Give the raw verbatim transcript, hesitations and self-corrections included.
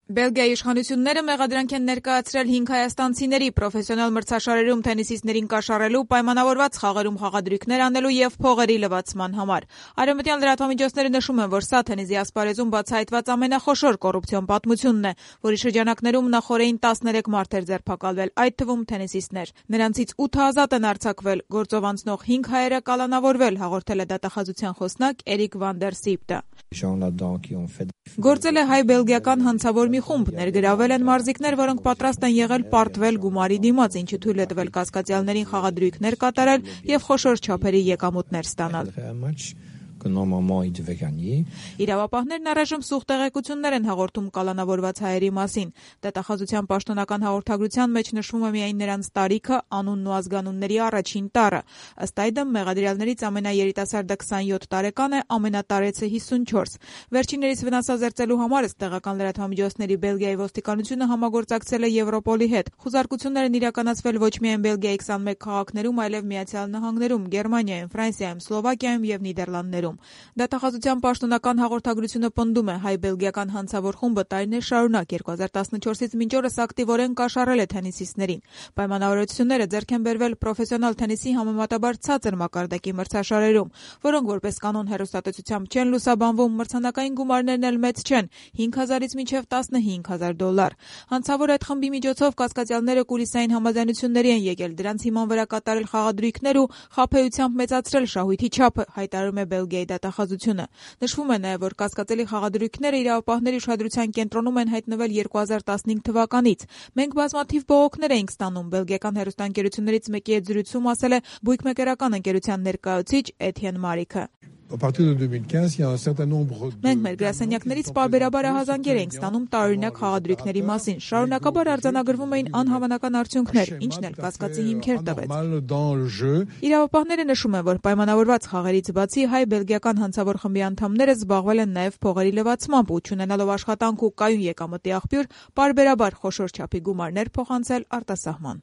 Բելգիայի իշխանությունները մեղադրանք են ներկայացրել հինգ հայաստանցիների պրոֆեսիոնալ մրցաշարերում թենիսիստներին կաշառելու, պայմանավորված խաղերում խաղադրույքներ անելու եւ փողերի լվացման համար։ Արևմտյան լրատվամիջոցները նշում են, որ սա թենիսի ասպարեզում բացահայտված ամենախոշոր կոռուպցիոն պատմությունն է, որի շրջանակներում նախորդին տասներեք մարդ էր ձերբակալվել, այդ թվում թենիսիստներ։ Նրանցից ութը ազատ են արձակվել, գործով անցնող հինգ հայերը կալանավորվել, հաղորդել է դատախազության խոսնակ Էրիկ վան դեր Սիպտը։ Գործել է հայ-բելգիական հանցավոր մի խումբ, ներգրավել են մարզիկներ, որոնք պատրաստ են եղել պարտվել գումարի դիմաց, ինչը թույլ է տվել կասկածյալներին խաղադրույքներ կատարել եւ խոշոր չափերի եկամուտներ ստանալ։ Իրավապահներն առայժմ սուղ տեղեկություններ են հաղորդում կալանավորված հայերի մասին։ Դատախազության պաշտոնական հաղորդագրության մեջ նշվում է միայն նրանց տարիքը, անունն ու ազգանունների առաջին տառը։ Ըստ այդմ մեղադրյալներից ամենաերիտասարդը քսանյոթ տարեկան է, ամենատարեցը հիսունչորս։ Վերջիններից վնասազերծելու համար ըստ տեղական լրատվամիջոցների Բելգիայի ոստիկանությունը համագործակցել է Եվրոպոլի հետ։ Խուզարկություններն իրականացվել ոչ միայն Բելգիայի քսանմեկ քաղաքներում, այլև Միացյալ Նահանգներում, Գերմանիայում, Ֆրանսիայում, Սլովակիայում եւ Նիդերլանդներում։ Դատախազության պաշտոնական հաղորդագրությունը պնդում է, հայ-բելգիական հանցավոր խումբը տարիներ շարունակ երկու հազար տասնչորսից մինչ օրս ակտիվորեն կաշառել է թենիսիստներին։ Պայմանավորվածությունները ձեռք են բերվել պրոֆեսիոնալ թենիսի համեմատաբար ցածր մակարդակի մրցաշարերում, որոնք որպես կանոն հեռուստատեսությամբ չեն լուսաբանվում, մրցանակային գումարներն էլ մեծ չեն՝ հինգ հազարից մինչև տասնհինգ հազար դոլար։ Հանցավոր այդ խմբի միջոցով կասկածյալները կուլիսային համաձայնությունների են եկել դրանց հիման վրա կատարել խաղադրույքներ ու խաբեությամբ մեծացրել շահույթի չափը, հայտարարում է Բելգիայի դատախազությունը։ Նշվում է նաև, որ կասկածելի խաղադրույքները իրավապահների ուշադրության կենտրոնում են հայտնվել երկու հազար տասնհինգ թվականից։ Մենք բազմաթիվ բողոքներ էինք ստանում, բելգիական հեռուստաընկերություններից մեկի հետ զրույցում ասել է բույքմեկերական ընկերության ներկայացուցիչ Էթիեն Մարիքը։ Մենք մեր գրասենյակներից պարբերաբար ահազանգեր էինք ստանում տարօրինակ խաղադրույքների մասին։ Շարունակաբար արձանագրվում էին անհավանական արդյունքներ, ինչն էլ կասկածի հիմքեր տվեց։ Իրավապահները նշում են, որ պայմանավորված խաղերից բացի հայ-բելգիական հանցավոր խմբի անդամները զբաղվել են նաև փողերի լվացմամբ ու չունենալով աշխատանք ու կայուն եկամտի աղբյուր, պարբերաբար խոշոր չափի գումարներ փոխանցել արտասահման։